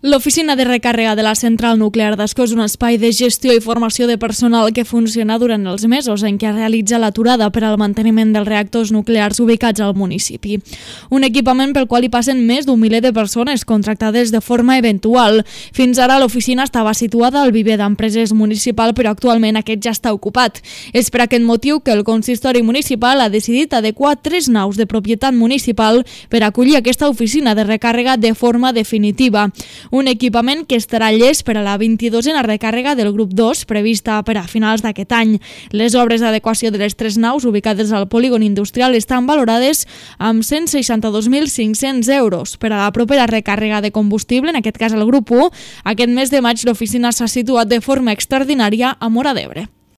L'oficina de recàrrega de la central nuclear d'Ascó és un espai de gestió i formació de personal que funciona durant els mesos en què es realitza l'aturada per al manteniment dels reactors nuclears ubicats al municipi. Un equipament pel qual hi passen més d'un miler de persones contractades de forma eventual. Fins ara l'oficina estava situada al viver d'empreses municipal, però actualment aquest ja està ocupat. És per aquest motiu que el consistori municipal ha decidit adequar 3 naus de propietat municipal per acollir aquesta oficina de recàrrega de forma definitiva. Un equipament que estarà llest per a la 22a recàrrega del grup 2, prevista per a finals d'aquest any. Les obres d'adequació de les 3 naus ubicades al polígon industrial estan valorades amb 162.500 euros. Per a la propera recàrrega de combustible, en aquest cas el grup 1, aquest mes de maig l'oficina s'ha situat de forma extraordinària a Móra d'Ebre.